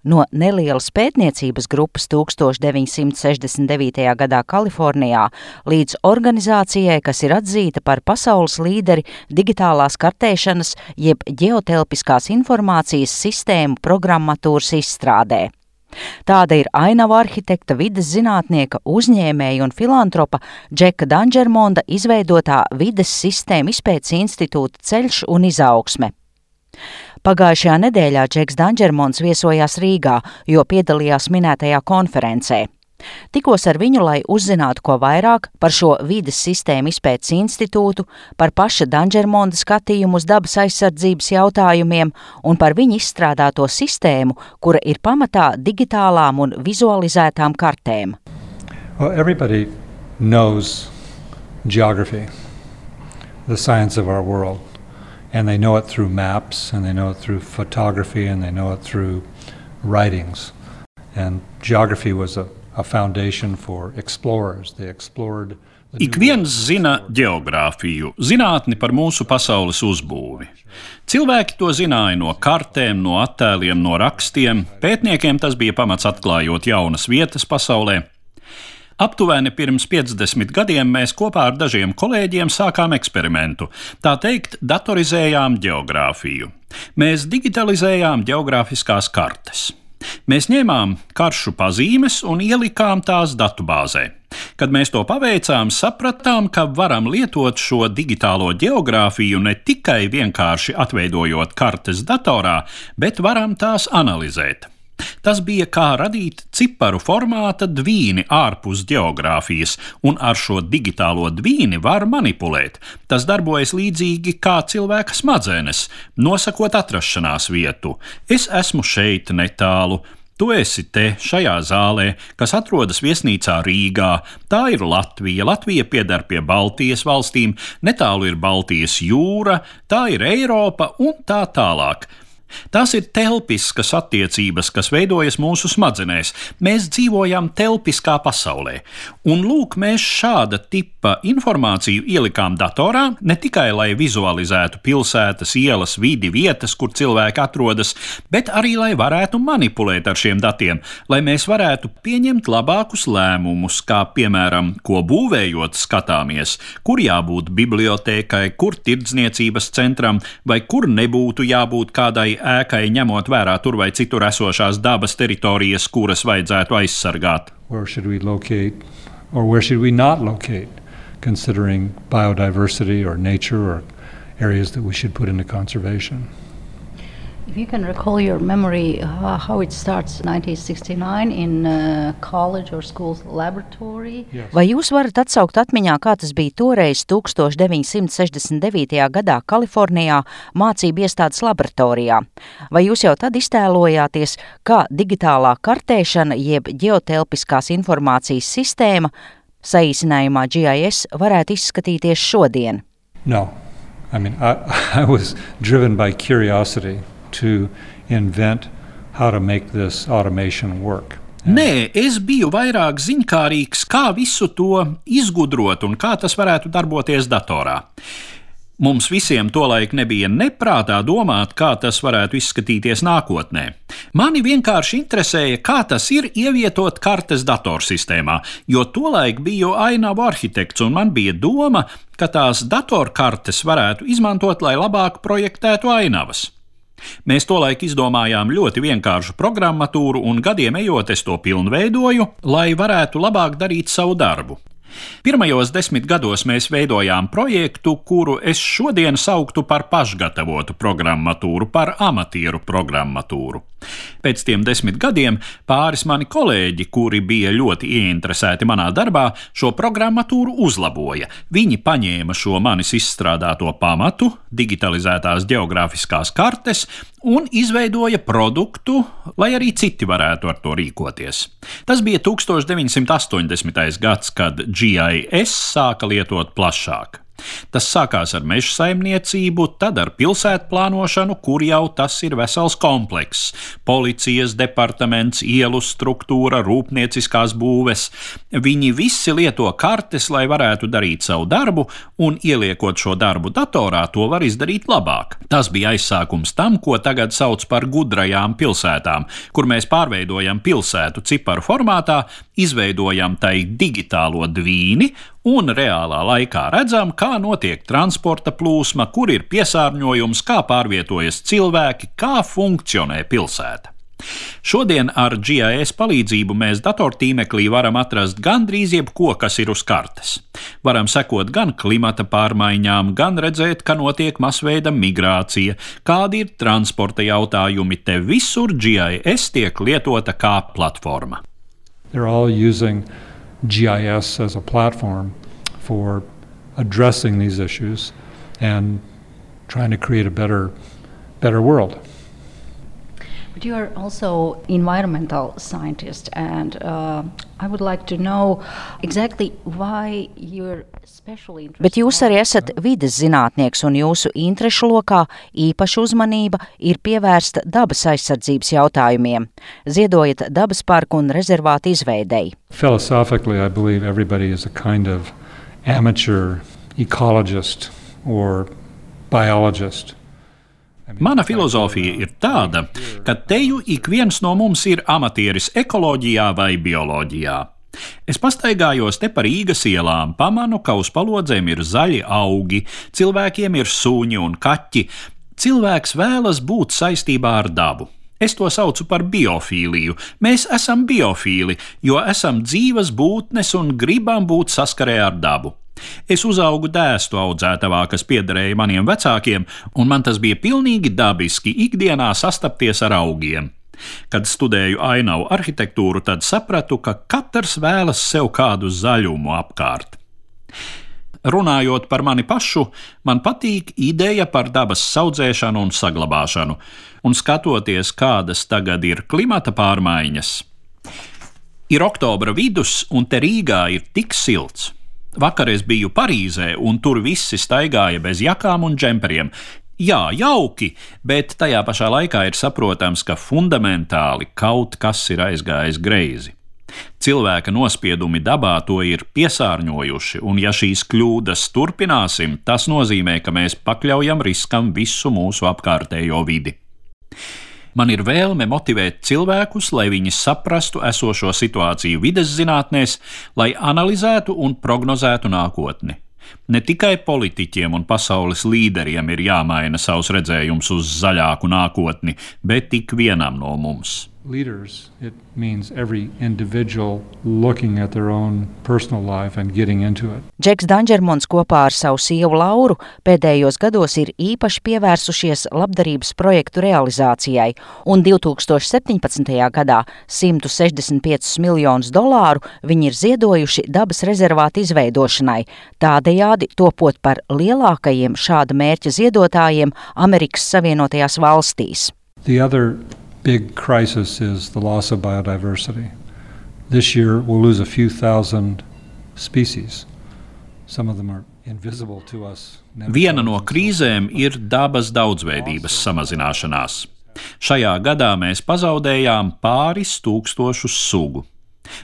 no nelielas pētniecības grupas 1969. gadā Kalifornijā līdz organizācijai, kas ir atzīta par pasaules līderi digitālās kartēšanas jeb ģeotelpiskās informācijas sistēmu programmatūras izstrādē. Tāda ir ainavu arhitekta, vides zinātnieka, uzņēmēja un filantropa Džeka Dangermonda izveidotā vides sistēmu izpētes institūta Ceļš un izaugsme. Pagājušajā nedēļā Džeks Dangermonds viesojās Rīgā, jo piedalījās minētajā konferencē. Tikos ar viņu, lai uzzinātu ko vairāk par šo vides sistēmu izpētes institūtu, par paša Dangermonda skatījumu uz dabas aizsardzības jautājumiem un par viņa izstrādāto sistēmu, kura ir pamatā digitālām un vizualizētām kartēm. Well, everybody knows geography, the science of our world, and they know it through maps, and they know it through photography, and they know it through writings. And geography was a foundation for explorers. They explored the Ik viens zina ģeogrāfiju, zinātni par mūsu pasaules uzbūvi. Cilvēki to zināja no kartēm, no attēliem, no rakstiem. Pētniekiem tas bija pamats atklājot jaunas vietas pasaulē. Aptuveni pirms 50 gadiem mēs kopā ar dažiem kolēģiem sākām eksperimentu. Tā teikt, datorizējām ģeogrāfiju. Mēs digitalizējām ģeogrāfiskās kartes. Mēs ņēmām karšu pazīmes un ielikām tās datubāzē. Kad mēs to paveicām, sapratām, ka varam lietot šo digitālo ģeogrāfiju ne tikai vienkārši atveidojot kartes datorā, bet varam tās analizēt. Tas bija kā radīt ciparu formāta dvīni ārpus ģeogrāfijas, un ar šo digitālo dvīni var manipulēt. Tas darbojas līdzīgi kā cilvēka smadzenes, nosakot atrašanās vietu. Es esmu šeit netālu. Tu esi te, šajā zālē, kas atrodas viesnīcā Rīgā. Tā ir Latvija. Latvija pieder pie Baltijas valstīm, netālu ir Baltijas jūra, tā ir Eiropa un tā tālāk. Tās ir telpiskas attiecības, kas veidojas mūsu smadzenēs. Mēs dzīvojam telpiskā pasaulē. Un lūk, mēs šāda tipa informāciju ielikām datorā, ne tikai lai vizualizētu pilsētas, ielas, vidi, vietas, kur cilvēki atrodas, bet arī lai varētu manipulēt ar šiem datiem, lai mēs varētu pieņemt labākus lēmumus, kā piemēram, ko būvējot skatāmies, kur jābūt bibliotēkai, kur tirdzniecības centram, vai kur nebūtu jābūt kādai ēkai, ņemot vērā tur vai citur esošās dabas teritorijas, kuras vajadzētu aizsargāt. Where should we locate or where should we not locate, considering biodiversity or nature or areas that we should put into conservation? If you can recall your memory, how it starts 1969 in college or school's laboratory. Yes. Vai jūs varat atsaukt atmiņā, kā tas bija toreiz 1969. gadā Kalifornijā mācību iestādes laboratorijā? Vai jūs jau tad iztēlojāties, kā digitālā kartēšana jeb ģeotelpiskās informācijas sistēma, saīsinājumā GIS, varētu izskatīties šodien? No. I mean, I was driven by curiosity to invent how to make this automation work. Nē, es biju vairāk ziņkārīgs, kā visu to izgudrot un kā tas varētu darboties datorā. Mums visiem tolaik nebija neprātā domāt, kā tas varētu izskatīties nākotnē. Mani vienkārši interesēja, kā tas ir ievietot kartes datorsistēmā, jo tolaik biju ainavu arhitekts un man bija doma, ka tās datorkartes varētu izmantot, lai labāk projektētu ainavas. Mēs tolaik izdomājām ļoti vienkāršu programmatūru un gadiem ejot es to pilnveidoju, lai varētu labāk darīt savu darbu. Pirmajos 10 gados mēs veidojām projektu, kuru es šodien sauktu par pašgatavotu programmatūru, par amatieru programmatūru. Pēc tiem 10 gadiem pāris mani kolēģi, kuri bija ļoti ieinteresēti manā darbā, šo programmatūru uzlaboja. Viņi paņēma šo manis izstrādāto pamatu, digitalizētās ģeogrāfiskās kartes, un izveidoja produktu, lai arī citi varētu ar to rīkoties. Tas bija 1980. gads, kad GIS sāka lietot plašāk. Tas sākās ar meža saimniecību, tad ar pilsētu plānošanu, kur jau tas ir vesels komplekss - policijas departaments, ielu struktūra, rūpnieciskās būves. Viņi visi lieto kartes, lai varētu darīt savu darbu, un ieliekot šo darbu datorā, to var izdarīt labāk. Tas bija aizsākums tam, ko tagad sauc par gudrajām pilsētām, kur mēs pārveidojam pilsētu ciparu formātā, izveidojam tai digitālo dvīni un reālā laikā redzam, kā notiek transporta plūsma, kur ir piesārņojums, kā pārvietojas cilvēki, kā funkcionē pilsēta. Šodien ar GIS palīdzību mēs datortīmeklī varam atrast gandrīz jebko, kas ir uz kartes. Varam sekot gan klimata pārmaiņām, gan redzēt, ka notiek masveida migrācija, kādi ir transporta jautājumi. Te visur GIS tiek lietota kā platforma. They're all using GIS as a platform for addressing these issues and trying to create a better world. But you are also environmental scientist, and I would like to know exactly why you're especially interested. Bet jūs arī esat vides zinātnieks, un jūsu interešu lokā īpaša uzmanība ir pievērsta dabas aizsardzības jautājumiem. Ziedojat dabas parku un rezervātu izveidei. Philosophically, I believe everybody is a kind of amateur ecologist or biologist. Mana filozofija ir tāda, ka teju ik viens no mums ir amatieris ekoloģijā vai bioloģijā. Es pastaigājos te pa Rīgas ielām, pamanu, ka uz palodzēm ir zaļi augi, cilvēkiem ir suņi un kaķi. Cilvēks vēlas būt saistībā ar dabu. Es to saucu par biofīliju. Mēs esam biofīli, jo esam dzīvas būtnes un gribam būt saskarē ar dabu. Es uzaugu dēstu audzētavā, kas piederēja maniem vecākiem, un man tas bija pilnīgi dabiski ikdienā sastapties ar augiem. Kad studēju ainavu arhitektūru, tad sapratu, ka katrs vēlas sev kādu zaļumu apkārt. Runājot par mani pašu, man patīk ideja par dabas saudzēšanu un saglabāšanu, un skatoties, kādas tagad ir klimata pārmaiņas. Ir oktobra vidus, un te Rīgā ir tik silts. Vakar es biju Parīzē, un tur visi staigāja bez jakām un džemperiem. Jā, jauki, bet tajā pašā laikā ir saprotams, ka fundamentāli kaut kas ir aizgājis greizi. Cilvēka nospiedumi dabā to ir piesārņojuši, un ja šīs kļūdas turpināsim, tas nozīmē, ka mēs pakļaujam riskam visu mūsu apkārtējo vidi. Man ir vēlme motivēt cilvēkus, lai viņi saprastu esošo situāciju vides zinātnēs, lai analizētu un prognozētu nākotni. Ne tikai politiķiem un pasaules līderiem ir jāmaina savs redzējums uz zaļāku nākotni, bet ik vienam no mums. Leaders, it means every individual looking at their own personal life and getting into it. Džeks Danģermons kopā ar savu sievu Lauru pēdējos gados ir īpaši pievērsušies labdarības projektu realizācijai, un 2017. gadā $165 miljonus viņi ir ziedojuši dabas rezervātu izveidošanai, tādējādi topot par lielākajiem šāda mērķa ziedotājiem Amerikas Savienotajās valstīs. The other big crisis is the loss of biodiversity. This year we'll lose a few thousand species. Some of them are invisible to us. Viena no krīzēm ir dabas daudzveidības samazināšanās. Šajā gadā mēs pazaudējām pāris tūkstošus sugu.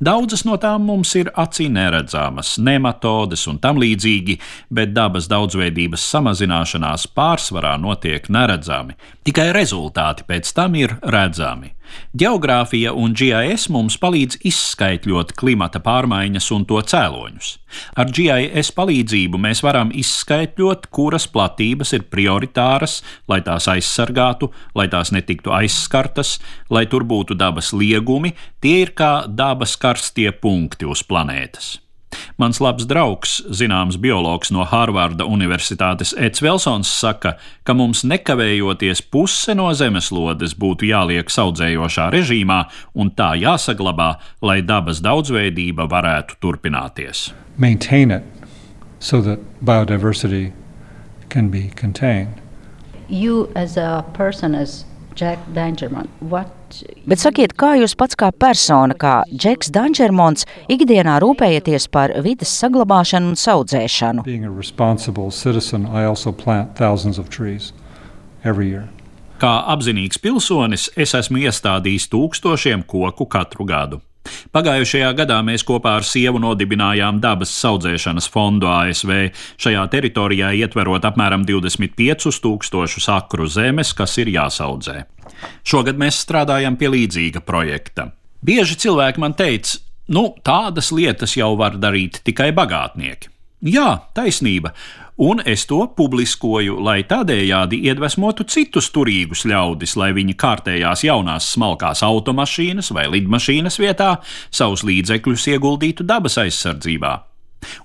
Daudzas no tām mums ir acī neredzamas, nematodes un tam līdzīgi, bet dabas daudzveidības samazināšanās pārsvarā notiek neredzami. Tikai rezultāti pēc tam ir redzami. Geogrāfija un GIS mums palīdz izskaitļot klimata pārmaiņas un to cēloņus. Ar GIS palīdzību mēs varam izskaitļot, kuras platības ir prioritāras, lai tās aizsargātu, lai tās netiktu aizskartas, lai tur būtu dabas liegumi, tie ir kā dabas karstie punkti uz planētas. Mans labs draugs, zināms biologs no Hārvarda Universitātes Eds Velsons saka, ka mums nekavējoties puse no zemeslodes būtu jāliek saudzējošā režīmā un tā jāsaglabā, lai dabas daudzveidība varētu turpināties. Maintain it so that biodiversity can be contained. You as a person, as Jack Dangermond, Bet sakiet, kā jūs pats kā persona, kā Džeks Dangermonds, ikdienā rūpējaties par vides saglabāšanu un audzēšanu? Being a responsible citizen, I also plant thousands of trees every year. Kā apzinīgs pilsonis, es esmu iestādījis tūkstošiem koku katru gadu. Pagājušajā gadā mēs kopā ar sievu nodibinājām dabas audzēšanas fondu ASV, šajā teritorijā ietverot apmēram 25,000 akru zemes, kas ir jāsaudzē. Šogad mēs strādājam pie līdzīga projekta. Bieži cilvēki man teica, tādas lietas jau var darīt tikai bagātnieki. Jā, taisnība, un es to publiskoju, lai tādējādi iedvesmotu citus turīgus ļaudis, lai viņi kārtējās jaunās smalkās automašīnas vai lidmašīnas vietā savus līdzekļus ieguldītu dabas aizsardzībā.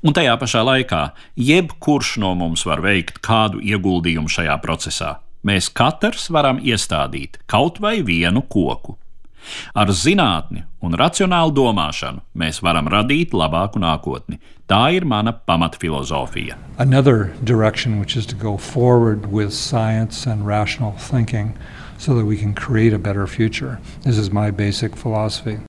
Un tajā pašā laikā jebkurš no mums var veikt kādu ieguldījumu šajā procesā. Mēs katrs varam iestādīt kaut vai vienu koku. Ar zinātni un racionālu domāšanu mēs varam radīt labāku nākotni. Tā ir mana pamatfilozofija. Another direction, which is to go forward with science and rational thinking so that we can create a better future. This is my basic philosophy.